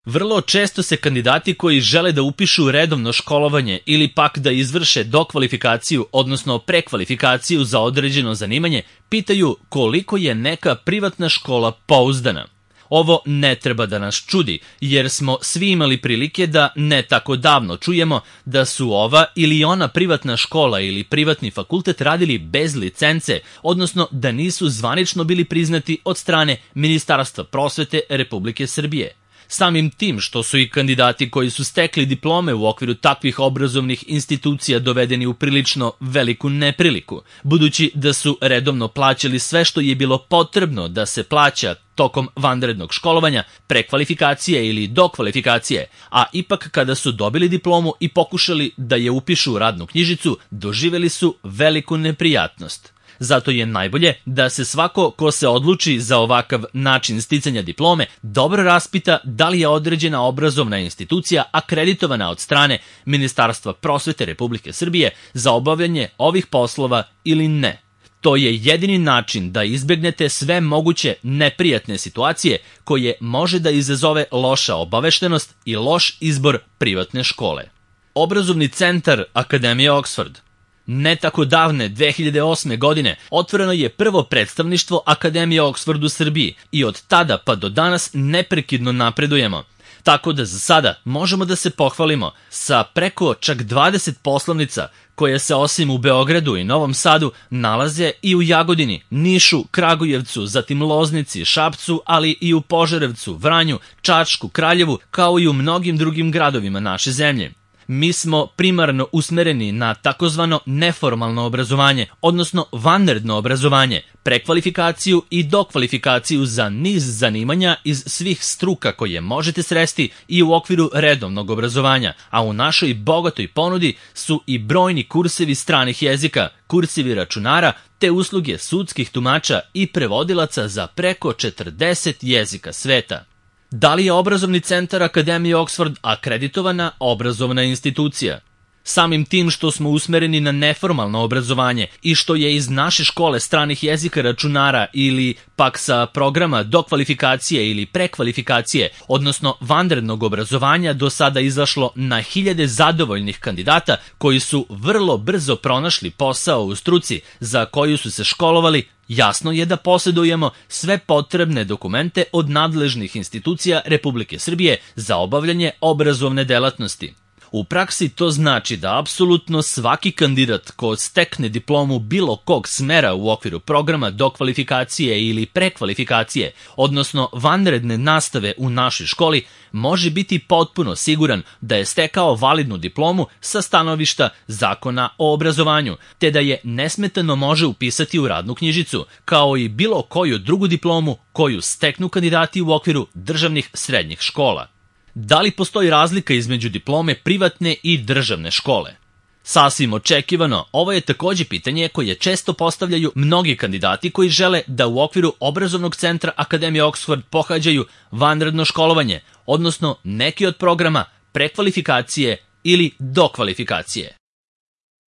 Vrlo često se kandidati koji žele da upišu redovno školovanje ili pak da izvrše dokvalifikaciju, odnosno prekvalifikaciju za određeno zanimanje, pitaju koliko je neka privatna škola pouzdana. Ovo ne treba da nas čudi, jer smo svi imali prilike da ne tako davno čujemo da su ova ili ona privatna škola ili privatni fakultet radili bez licence, odnosno da nisu zvanično bili priznati od strane Ministarstva prosvete Republike Srbije. Samim tim što su i kandidati koji su stekli diplome u okviru takvih obrazovnih institucija dovedeni u prilično veliku nepriliku, budući da su redovno plaćali sve što je bilo potrebno da se plaća tokom vanrednog školovanja, prekvalifikacije ili dokvalifikacije, a ipak kada su dobili diplomu i pokušali da je upišu u radnu knjižicu, doživeli su veliku neprijatnost. Zato je najbolje da se svako ko se odluči za ovakav način sticanja diplome dobro raspita da li je određena obrazovna institucija akreditovana od strane Ministarstva prosvete Republike Srbije za obavljanje ovih poslova ili ne. To je jedini način da izbegnete sve moguće neprijatne situacije koje može da izazove loša obaveštenost i loš izbor privatne škole. Obrazovni centar Akademije Oxford. Ne tako davne 2008. godine otvoreno je prvo predstavništvo Akademije Oxford u Srbiji i od tada pa do danas neprekidno napredujemo. Tako da za sada možemo da se pohvalimo sa preko čak 20 poslovnica koje se osim u Beogradu i Novom Sadu nalaze i u Jagodini, Nišu, Kragujevcu, zatim Loznici, Šapcu, ali i u Požarevcu, Vranju, Čačku, Kraljevu, kao i u mnogim drugim gradovima naše zemlje. Mi smo primarno usmereni na takozvano neformalno obrazovanje, odnosno vanredno obrazovanje, prekvalifikaciju i dokvalifikaciju za niz zanimanja iz svih struka koje možete sresti i u okviru redovnog obrazovanja, a u našoj bogatoj ponudi su i brojni kursevi stranih jezika, kursevi računara, te usluge sudskih tumača i prevodilaca za preko 40 jezika sveta. Da li je obrazovni centar Akademije Oxford akreditovana obrazovna institucija? Samim tim što smo usmereni na neformalno obrazovanje i što je iz naše škole stranih jezika računara ili pak sa programa dokvalifikacije ili prekvalifikacije, odnosno vanrednog obrazovanja, do sada izašlo na hiljade zadovoljnih kandidata koji su vrlo brzo pronašli posao u struci za koju su se školovali, jasno je da posjedujemo sve potrebne dokumente od nadležnih institucija Republike Srbije za obavljanje obrazovne delatnosti. U praksi to znači da apsolutno svaki kandidat ko stekne diplomu bilo kog smera u okviru programa dokvalifikacije ili prekvalifikacije, odnosno vanredne nastave u našoj školi, može biti potpuno siguran da je stekao validnu diplomu sa stanovišta Zakona o obrazovanju, te da je nesmetano može upisati u radnu knjižicu, kao i bilo koju drugu diplomu koju steknu kandidati u okviru državnih srednjih škola. Da li postoji razlika između diplome privatne i državne škole? Sasvim očekivano, ovo je takođe pitanje koje često postavljaju mnogi kandidati koji žele da u okviru obrazovnog centra Akademije Oxford pohađaju vanredno školovanje, odnosno neki od programa prekvalifikacije ili dokvalifikacije.